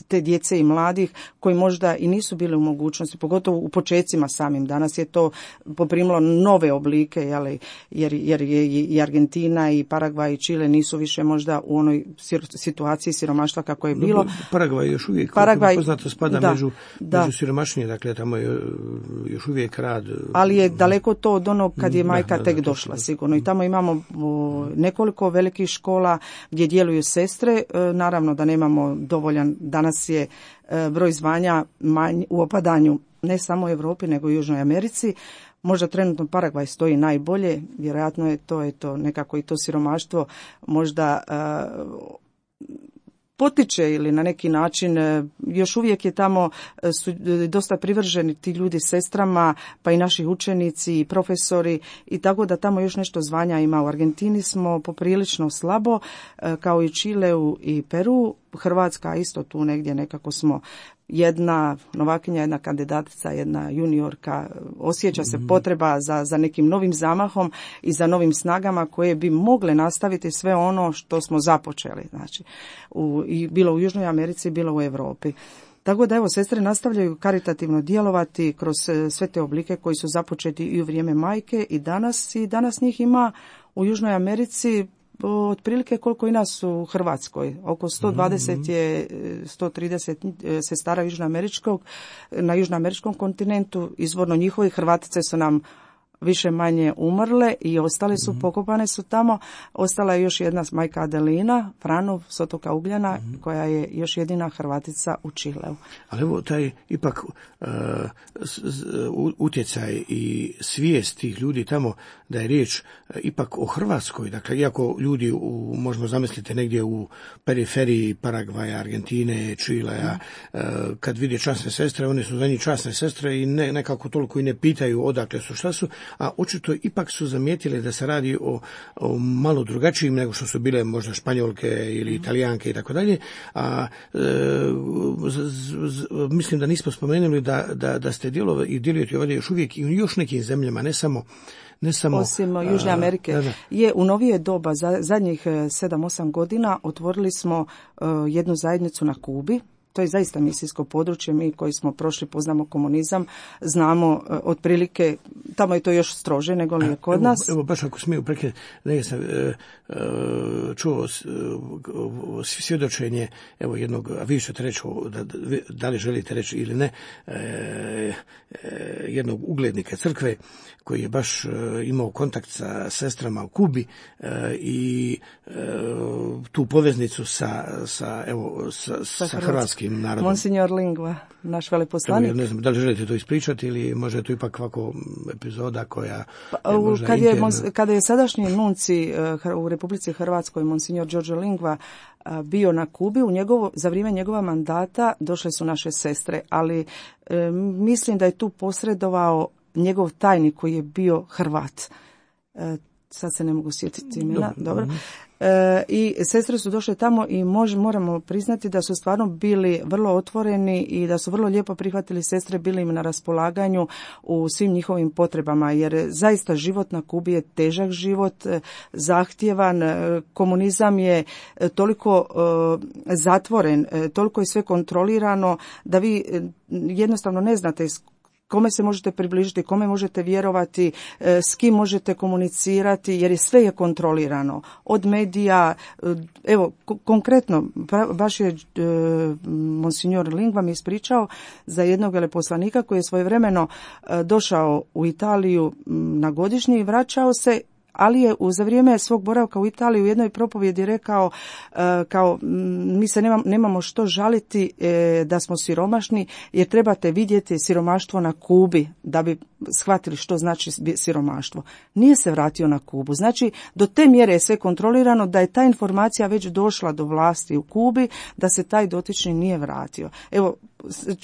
te djece i mladih koji možda i nisu bili u mogućnosti, pogotovo u počecima samim. Danas je to poprimilo nove oblike, jeli, jer, jer je i Argentina i Paragvaj i Čile nisu više možda u onoj situaciji siromaštva kako je bilo. No, Paragvaj još uvijek, Paragvaj, poznato, spada da, među, da. među siromašnije, dakle tamo je još uvijek rad. Ali je daleko to od onog kad je majka da, tek da, došla, da. sigurno. I tamo imamo nekoliko velikih škola gdje djeluju sestre. Naravno da nemamo dovoljan, danas je broj zvanja manj, u opadanju ne samo u Europi nego i u Južnoj Americi. Možda trenutno Paragvaj stoji najbolje, vjerojatno je to, je to nekako i to siromaštvo možda uh, potiče ili na neki način još uvijek je tamo su dosta privrženi ti ljudi sestrama, pa i naši učenici i profesori i tako da tamo još nešto zvanja ima. U Argentini smo poprilično slabo, kao i Čileu i Peru. Hrvatska isto tu negdje nekako smo jedna novakinja, jedna kandidatica, jedna juniorka, osjeća se potreba za, za nekim novim zamahom i za novim snagama koje bi mogle nastaviti sve ono što smo započeli, znači, u, i bilo u Južnoj Americi, bilo u Europi. Tako da evo, sestre nastavljaju karitativno djelovati kroz sve te oblike koji su započeti i u vrijeme majke i danas, i danas njih ima u Južnoj Americi otprilike koliko i nas u Hrvatskoj. Oko sto dvadeset je, sto trideset sestara južnoameričkog, na južnoameričkom kontinentu. Izvorno njihovi Hrvatice su nam više manje umrle i ostale su, mm-hmm. pokopane su tamo. Ostala je još jedna majka Adelina Franov s otoka Ugljana, mm-hmm. koja je još jedina Hrvatica u Čileu. Ali evo taj ipak uh, utjecaj i svijest tih ljudi tamo da je riječ uh, ipak o Hrvatskoj. Dakle, iako ljudi u, možemo zamisliti negdje u periferiji Paragvaja, Argentine, Čilea, mm-hmm. uh, kad vide časne sestre, one su za njih časne sestre i ne, nekako toliko i ne pitaju odakle su, šta su, a očito ipak su zamijetili da se radi o, o malo drugačijim nego što su bile možda Španjolke ili Italijanke i tako dalje. A e, z, z, mislim da nismo spomenuli da, da, da ste djelovali i djelujete ovdje još uvijek i u još nekim zemljama, ne samo Ne samo, osim Južne Amerike, a, da, da. je u novije doba, za zadnjih sedam osam godina, otvorili smo uh, jednu zajednicu na Kubi. To je zaista misijsko područje, mi koji smo prošli, poznamo komunizam, znamo uh, otprilike, tamo je to još strože nego li je kod evo, nas. Evo, baš ako smiju prekinuti, negdje sam e, e, čuo e, svjedočenje, evo jednog, a vi ćete reći, da, da li želite reći ili ne, e, e, jednog uglednika crkve, koji je baš e, imao kontakt sa sestrama u Kubi e, i e, tu poveznicu sa, sa, evo, sa, sa, sa hrvatskim narodom. Monsignor Lingva, naš veleposlanik. Ja ne znam, da li želite to ispričati ili može to ipak ovako epizoda koja pa, je možda kad je, interna. Kada je sadašnji nunci uh, u Republici Hrvatskoj, Monsignor Đorđe Lingva, uh, bio na Kubi, u njegovo, za vrijeme njegova mandata došle su naše sestre, ali uh, mislim da je tu posredovao njegov tajnik koji je bio Hrvat. E, sad se ne mogu sjetiti imena. Dobro. Dobro. E, I sestre su došle tamo i mož, moramo priznati da su stvarno bili vrlo otvoreni i da su vrlo lijepo prihvatili sestre, bili im na raspolaganju u svim njihovim potrebama, jer zaista život na Kubi je težak život, zahtjevan, komunizam je toliko e, zatvoren, e, toliko je sve kontrolirano da vi e, jednostavno ne znate kome se možete približiti, kome možete vjerovati, s kim možete komunicirati, jer je sve je kontrolirano. Od medija, evo, konkretno, baš je e, Monsignor Lingva mi ispričao za jednog veleposlanika koji je svojevremeno e, došao u Italiju na godišnji i vraćao se, ali je za vrijeme svog boravka u Italiji u jednoj propovjedi rekao kao mi se nemamo, nemamo što žaliti da smo siromašni, jer trebate vidjeti siromaštvo na Kubi da bi shvatili što znači siromaštvo. Nije se vratio na Kubu. Znači, do te mjere je sve kontrolirano da je ta informacija već došla do vlasti u Kubi, da se taj dotični nije vratio. Evo,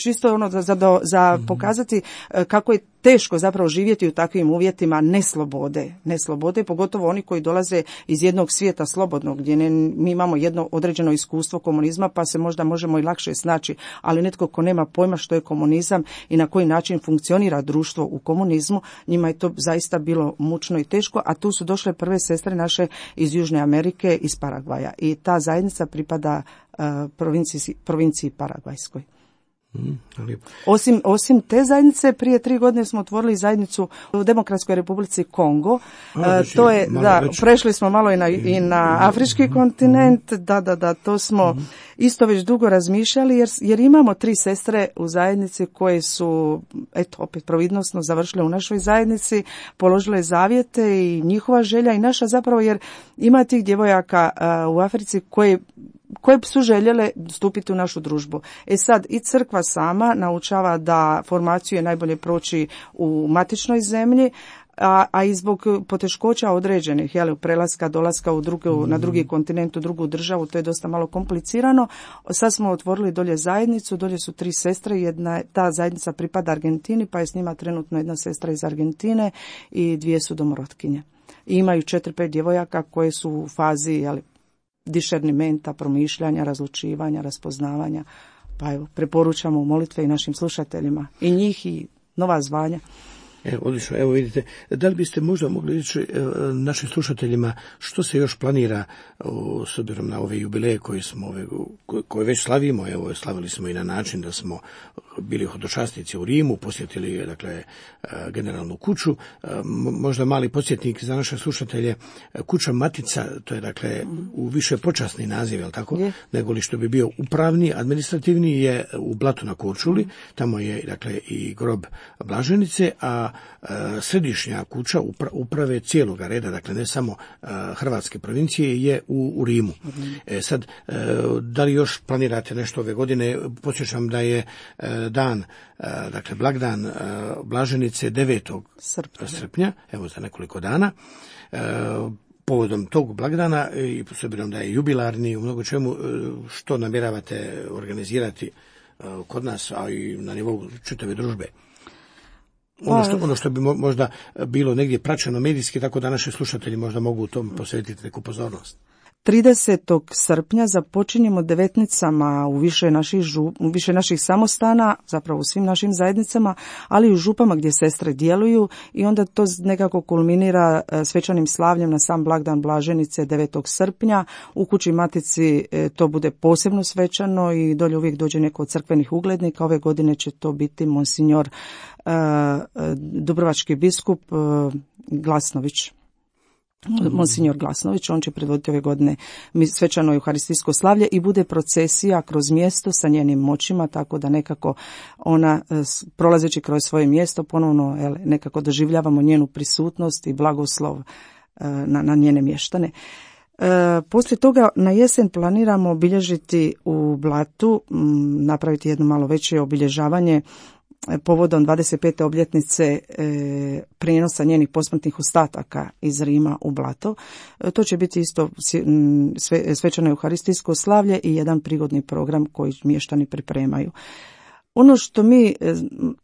čisto ono za, za, za pokazati kako je teško zapravo živjeti u takvim uvjetima neslobode. Neslobode, pogotovo oni koji dolaze iz jednog svijeta slobodnog, gdje ne, mi imamo jedno određeno iskustvo komunizma, pa se možda možemo i lakše snaći, ali netko ko nema pojma što je komunizam i na koji način funkcionira društvo u komunizmu, njima je to zaista bilo mučno i teško, a tu su došle prve sestre naše iz Južne Amerike, iz Paragvaja. I ta zajednica pripada uh, provinciji, provinciji Paragvajskoj. Mm, osim, osim te zajednice, prije tri godine smo otvorili zajednicu u Demokratskoj Republici Kongo. A, znači, to je, da, već... prešli smo malo i na, i na afrički mm, kontinent, mm, da, da, da, to smo mm. isto već dugo razmišljali, jer, jer imamo tri sestre u zajednici koje su, eto, opet providnosno završile u našoj zajednici, položile zavjete i njihova želja i naša zapravo, jer ima tih djevojaka uh, u Africi koje koje su željele stupiti u našu družbu. E sad, i crkva sama naučava da formaciju je najbolje proći u matičnoj zemlji, a, a i zbog poteškoća određenih, jel, prelaska, dolaska u drugu, na drugi kontinent, u drugu državu, to je dosta malo komplicirano. Sad smo otvorili dolje zajednicu, dolje su tri sestre, jedna, ta zajednica pripada Argentini, pa je s njima trenutno jedna sestra iz Argentine i dvije su domorotkinje. I imaju četiri, pet djevojaka koje su u fazi, jel, dišernimenta, promišljanja, razlučivanja, raspoznavanja. Pa evo, preporučamo molitve i našim slušateljima, i njih i nova zvanja. Evo, odlično, evo vidite, da li biste možda mogli reći našim slušateljima što se još planira s obzirom na ove jubileje koje smo ove, koje već slavimo, evo slavili smo i na način da smo bili hodočasnici u Rimu, posjetili dakle generalnu kuću, možda mali podsjetnik za naše slušatelje, kuća Matica, to je dakle u više počasni naziv, je li tako, je. Nego li što bi bio upravni, administrativni je u Blatu na Korčuli, tamo je dakle i grob Blaženice, a središnja kuća uprave cijeloga reda, dakle ne samo hrvatske provincije, je u, u Rimu. E sad, da li još planirate nešto ove godine? Podsjećam da je dan, dakle blagdan Blaženice devetog srpnja, evo za nekoliko dana. Povodom tog blagdana i s obzirom da je jubilarni u mnogo čemu, što namjeravate organizirati kod nas, a i na nivou čitave družbe? Ono što, ono što bi možda bilo negdje praćeno medijski, tako da naši slušatelji možda mogu u tom posvetiti neku pozornost. tridesetog srpnja započinjemo devetnicama u više naših, žup, u više naših samostana, zapravo u svim našim zajednicama, ali i u župama gdje sestre djeluju, i onda to nekako kulminira svečanim slavljem na sam blagdan Blaženice devetog srpnja. U kući Matici to bude posebno svečano i dolje uvijek dođe neko od crkvenih uglednika. Ove godine će to biti monsinjor uh, dubrovački biskup uh, Glasnović. Monsinjor Glasnović, on će predvoditi ove godine svečano euharistijsko slavlje i bude procesija kroz mjesto sa njenim moćima, tako da nekako ona, prolazeći kroz svoje mjesto, ponovno ele, nekako doživljavamo njenu prisutnost i blagoslov na, na njene mještane. E, poslije toga na jesen planiramo obilježiti u Blatu, m, napraviti jedno malo veće obilježavanje povodom dvadeset pete obljetnice e, prijenosa njenih posmrtnih ostataka iz Rima u Blato. E, to će biti isto sve, svečano euharistijsko slavlje i jedan prigodni program koji mještani pripremaju. Ono što mi,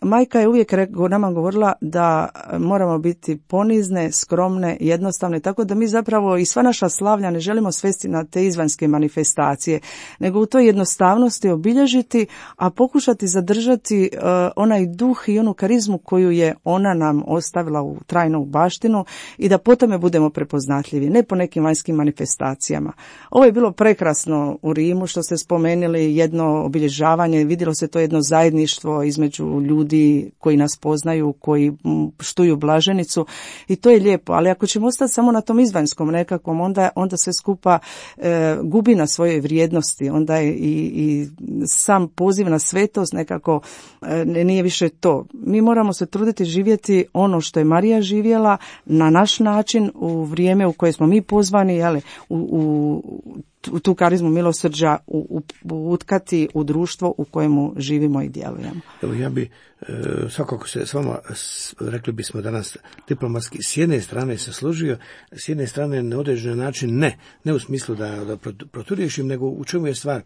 majka je uvijek nama govorila da moramo biti ponizne, skromne, jednostavne, tako da mi zapravo i sva naša slavlja ne želimo svesti na te izvanjske manifestacije, nego u toj jednostavnosti obilježiti, a pokušati zadržati uh, onaj duh i onu karizmu koju je ona nam ostavila u trajnu baštinu i da po tome budemo prepoznatljivi, ne po nekim vanjskim manifestacijama. Ovo je bilo prekrasno u Rimu što ste spomenuli, jedno obilježavanje, vidjelo se to jedno zajedno zajedništvo između ljudi koji nas poznaju, koji štuju blaženicu i to je lijepo, ali ako ćemo ostati samo na tom izvanjskom nekakvom, onda, onda sve skupa e, gubi na svojoj vrijednosti, onda je i, i sam poziv na svetost nekako e, nije više to. Mi moramo se truditi živjeti ono što je Marija živjela na naš način u vrijeme u koje smo mi pozvani, jeli, u, u u tu karizmu milosrđa u, u, utkati u društvo u kojemu živimo i djelujemo. Evo ja bi e, svakako se s vama, s, rekli bismo danas diplomatski, s jedne strane se složio, s jedne strane na određen način ne, ne u smislu da, da proturješim, nego u čemu je stvar.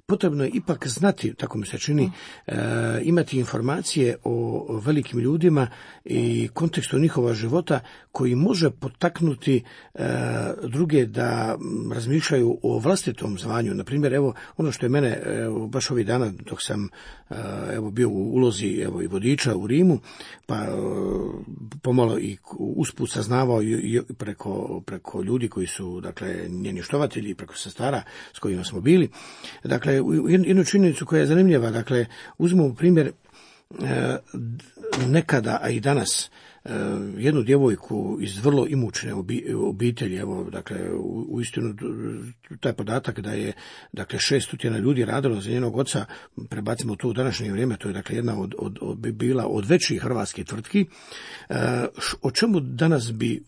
Potrebno je ipak znati, tako mi se čini, e, imati informacije o velikim ljudima i kontekstu njihova života koji može potaknuti e, druge da razmišljaju o vlastitom zvanju. Na primjer, evo, ono što je mene evo, baš ovih dana dok sam e, evo, bio u ulozi evo, i vodiča u Rimu, pa e, pomalo i usput saznavao i, i preko, preko ljudi koji su, dakle, njeni štovatelji, preko sestara s kojima smo bili. Dakle, jednu činjenicu koja je zanimljiva, dakle, uzmemo primjer e, nekada, a i danas, e, jednu djevojku iz vrlo imućne obitelji, evo, dakle, u, u istinu taj podatak da je, dakle, šest stotina ljudi radilo za njenog oca, prebacimo to u današnje vrijeme, to je, dakle, jedna od, od, od, bila od većih hrvatskih tvrtki, e, o čemu danas bi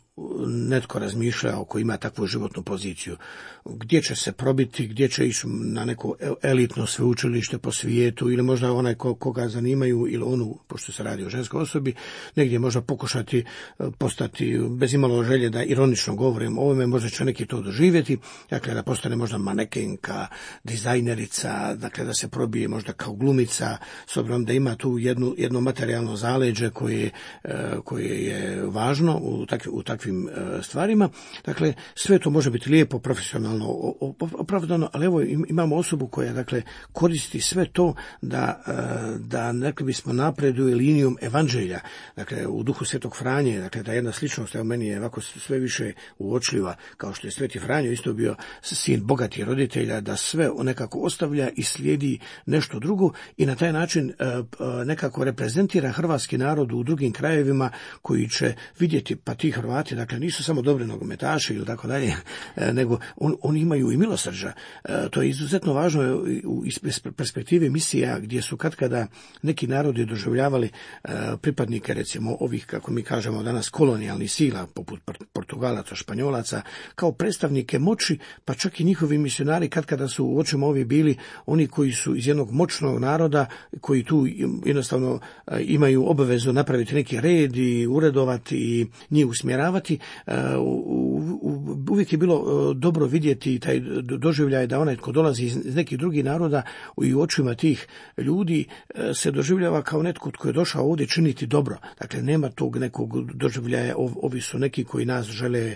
netko razmišljao ko ima takvu životnu poziciju, gdje će se probiti, gdje će ići na neko elitno sveučilište po svijetu ili možda onaj ko, koga zanimaju ili onu, pošto se radi o ženskoj osobi, negdje možda pokušati postati, bez imalo želje da ironično govorim o ovome, možda će neki to doživjeti, dakle da postane možda manekenka, dizajnerica, dakle da se probije možda kao glumica, s obzirom da ima tu jednu, jedno materijalno zaleđe koje, koje je važno u, takvi, u takvim stvarima. Dakle, sve to može biti lijepo, profesionalno opravdano, ali evo imamo osobu koja, dakle, koristi sve to da, da rekli bismo, napreduje linijom evanđelja, dakle, u duhu Svetog Franje, dakle, da jedna sličnost, evo meni je ovako sve više uočljiva, kao što je Sveti Franjo isto bio sin bogatih roditelja, da sve nekako ostavlja i slijedi nešto drugo i na taj način nekako reprezentira hrvatski narod u drugim krajevima koji će vidjeti, pa ti Hrvati, dakle, nisu samo dobri nogometaši ili tako dalje, nego on, oni imaju i milosrđa. To je izuzetno važno iz perspektive misija gdje su katkada neki narodi doživljavali pripadnike, recimo, ovih, kako mi kažemo danas, kolonijalnih sila, poput Portugalaca, Španjolaca, kao predstavnike moći, pa čak i njihovi misionari katkada su u očima ovi bili oni koji su iz jednog moćnog naroda, koji tu jednostavno imaju obavezu napraviti neki red i uredovati i njih usmjeravati. Uvijek je bilo dobro vidjeti taj doživljaj da onaj tko dolazi iz nekih drugih naroda i u očima tih ljudi se doživljava kao netko tko je došao ovdje činiti dobro. Dakle, nema tog nekog doživljaja, ovi su neki koji nas žele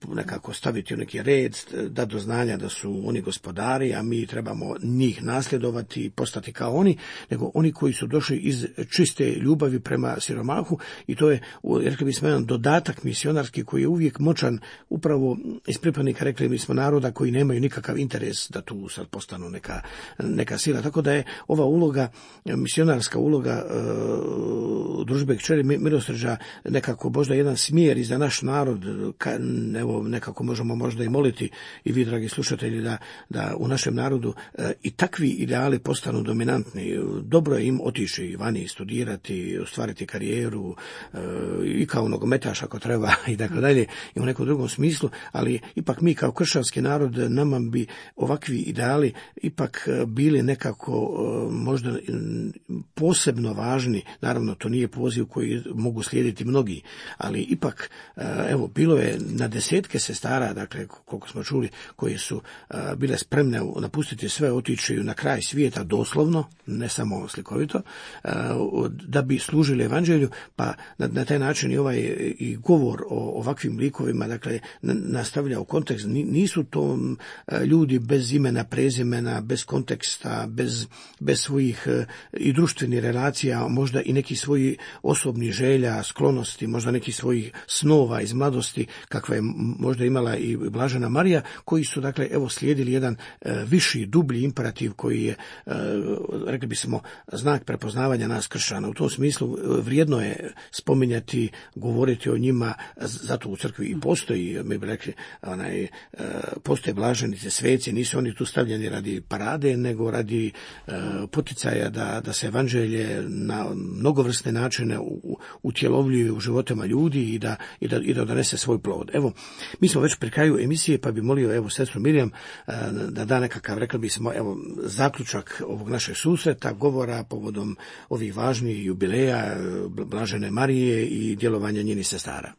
nekako staviti u neki red, da do znanja da su oni gospodari, a mi trebamo njih nasljedovati i postati kao oni, nego oni koji su došli iz čiste ljubavi prema siromahu i to je, rekli bismo, jedan dodatak misionarski koji je uvijek moćan upravo iz pripadnika, rekli bismo, naroda koji nemaju nikakav interes da tu sad postanu neka, neka sila. Tako da je ova uloga, misionarska uloga e, družbe kćeri milosrđa nekako možda jedan smjer i za naš narod. Ka, evo, nekako možemo možda i moliti i vi, dragi slušatelji, da, da u našem narodu e, i takvi ideali postanu dominantni. Dobro je im otići vani, studirati, ostvariti karijeru e, i kao nogometaš ako treba i tako dalje i u nekom drugom smislu, ali ipak mi kao kršćanski narod, nama bi ovakvi ideali ipak bili nekako možda posebno važni. Naravno, to nije poziv koji mogu slijediti mnogi, ali ipak, evo, bilo je na desetke sestara, dakle, koliko smo čuli, koje su bile spremne napustiti sve, otići na kraj svijeta doslovno, ne samo slikovito, da bi služili evanđelju, pa na, na taj način i ovaj i govor govor o ovakvim likovima, dakle, nastavlja u kontekst. Nisu to ljudi bez imena, prezimena, bez konteksta, bez, bez svojih i društvenih relacija, možda i neki svoji osobnih želja, sklonosti, možda neki svojih snova iz mladosti, kakva je možda imala i Blažena Marija, koji su, dakle, evo, slijedili jedan viši, dublji imperativ koji je, rekli bismo, znak prepoznavanja nas kršćana. U tom smislu vrijedno je spominjati, govoriti o njima, zato u crkvi i postoji, mi bi rekli, onaj, postoje blaženice, sveci, nisu oni tu stavljeni radi parade, nego radi poticaja da, da se evanđelje na mnogovrsne načine utjelovljuje u životima ljudi i da, i da, i da donese svoj plod. Evo, mi smo već pri kraju emisije, pa bi molio, evo, sestru Mirjam da da nekakav, rekli bismo, evo, zaključak ovog našeg susreta, govora povodom ovih važnih jubileja Blažene Marije i djelovanja njenih sestara.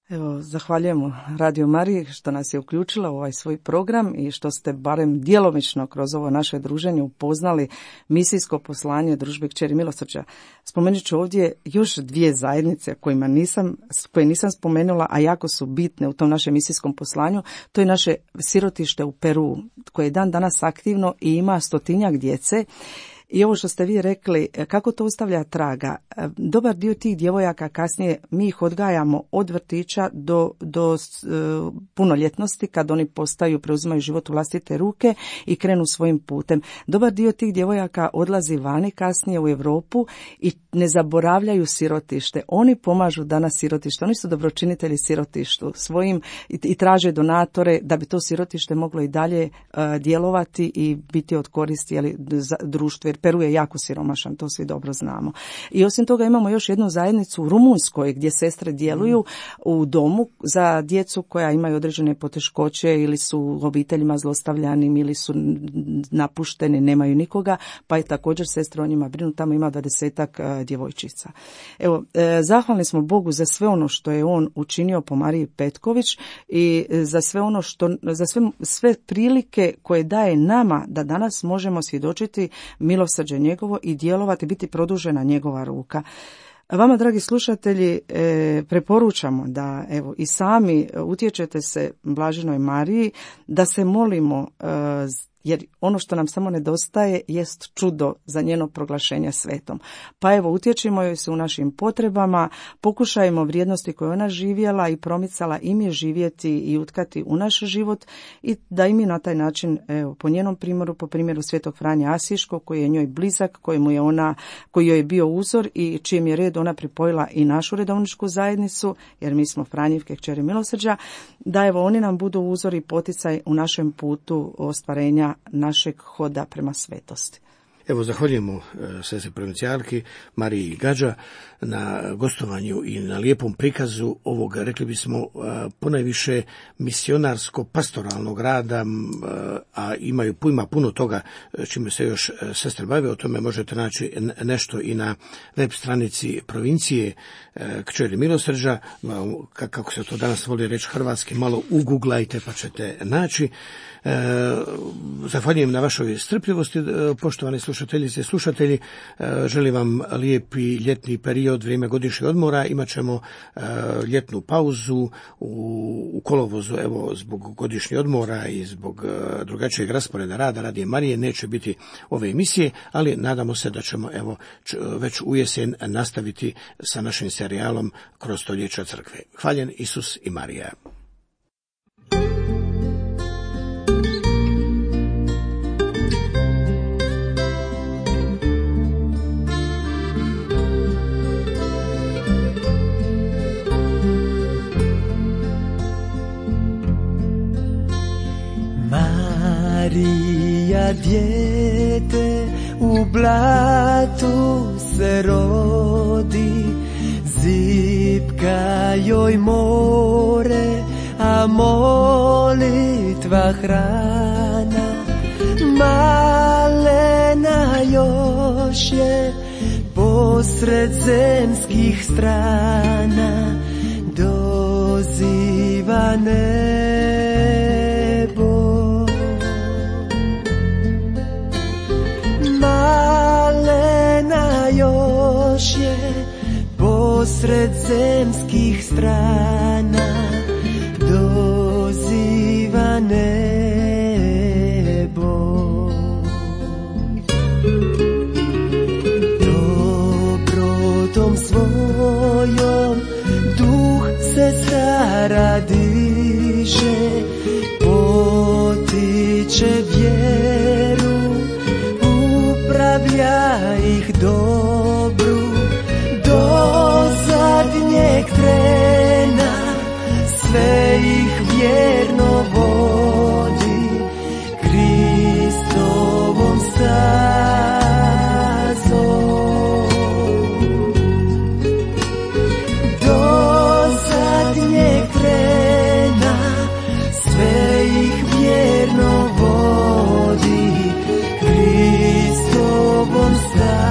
Evo, zahvaljujemo Radio Mariji što nas je uključila u ovaj svoj program i što ste barem djelomično kroz ovo naše druženje upoznali misijsko poslanje Družbe Kćeri milosrđa. Spomenut ću ovdje još dvije zajednice kojima nisam, koje nisam spomenula, a jako su bitne u tom našem misijskom poslanju. To je naše sirotište u Peru, koje je dan danas aktivno i ima stotinjak djece. I ovo što ste vi rekli, kako to ostavlja traga, dobar dio tih djevojaka kasnije mi ih odgajamo od vrtića do, do uh, punoljetnosti, kad oni postaju, preuzimaju život u vlastite ruke i krenu svojim putem. Dobar dio tih djevojaka odlazi vani kasnije u Europu i ne zaboravljaju sirotište. Oni pomažu danas sirotište, oni su dobročinitelji sirotištu svojim i, i traže donatore da bi to sirotište moglo i dalje uh, djelovati i biti od koristi, jeli, za društvu, jer Peru je jako siromašan, to svi dobro znamo. I osim toga imamo još jednu zajednicu u Rumunjskoj gdje sestre djeluju u domu za djecu koja imaju određene poteškoće ili su u obiteljima zlostavljanim ili su napušteni, nemaju nikoga, pa je također sestre o njima brinu, tamo ima dvadesetak djevojčica. Evo, zahvalni smo Bogu za sve ono što je on učinio po Mariji Petković i za sve ono što, za sve, sve prilike koje daje nama da danas možemo svjedočiti milosrđe njegovo i djelovati, biti produžena njegova ruka. Vama, dragi slušatelji, e, preporučamo da, evo, i sami utječete se Blaženoj Mariji, da se molimo, e, jer ono što nam samo nedostaje jest čudo za njeno proglašenje svetom. Pa evo, utječimo joj se u našim potrebama, pokušajmo vrijednosti koje ona živjela i promicala i mi živjeti i utkati u naš život i da i mi na taj način, evo, po njenom primjeru, po primjeru svetog Franje Asiškog, koji je njoj blizak, kojemu je ona, koji joj je bio uzor i čijem je red ona pripojila i našu redovničku zajednicu, jer mi smo Franjevke Kćeri milosrđa, da evo oni nam budu uzor i poticaj u našem putu ostvarenja našeg hoda prema svetosti. Evo, zahvaljujemo sestri provincijalki Mariji Gađa na gostovanju i na lijepom prikazu ovog, rekli bismo, ponajviše misionarsko-pastoralnog rada, a imaju ima puno toga čime se još sestre bave. O tome možete naći nešto i na web stranici provincije Kćeri milosrđa, kako se to danas voli reći hrvatski, malo uguglajte pa ćete naći. E, zahvaljujem na vašoj strpljivosti, poštovani slušateljice i slušatelji. E, želim vam lijepi ljetni period, vrijeme godišnjeg odmora. Imat ćemo e, ljetnu pauzu u, u kolovozu, evo, zbog godišnjeg odmora i zbog e, drugačijeg rasporeda rada Radije Marije neće biti ove emisije, ali nadamo se da ćemo, evo, č, već u jesen nastaviti sa našim serijalom Kroz stoljeća crkve. Hvaljen Isus i Marija. Marija dijete u blatu se rodi, zipka joj more, a molitva hrana. Malena još je posred zemskih strana, doziva nebo. Malena još je posred zemskih strana, nebo. Dobrotom svojom duh se stara diše, potiče vjeru, upravlja ih dobru do zadnjeg trena, sve ih vjerno vodi Kristovom stazom. Do zadnjeg trena sve ih vjerno vodi Kristovom stazom.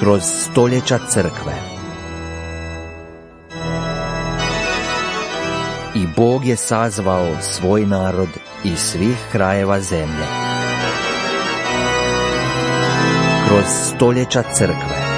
Kroz stoljeća crkve. I Bog je sazvao svoj narod iz svih krajeva zemlje. Kroz stoljeća crkve.